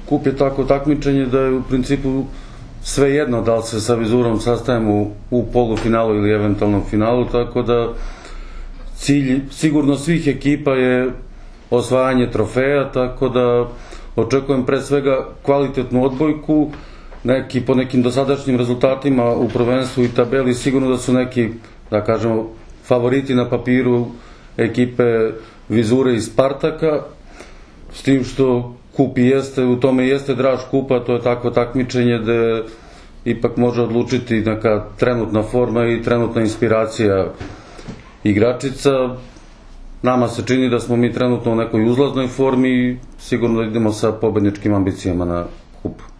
Kup je tako takmičenje da je u principu sve jedno da li se sa Vizurom sastajemo u polufinalu ili eventualnom finalu, tako da cilj sigurno svih ekipa je osvajanje trofeja, tako da očekujem pre svega kvalitetnu odbojku, po nekim dosadašnjim rezultatima u prvenstvu i tabeli sigurno da su neki, da kažemo, favoriti na papiru ekipe Vizure i Spartaka, s tim što kup jeste, u tome jeste draž kupa, to je takvo takmičenje gde ipak može odlučiti neka trenutna forma i trenutna inspiracija igračica. Nama se čini da smo mi trenutno u nekoj uzlaznoj formi i sigurno da idemo sa pobedničkim ambicijama na kup.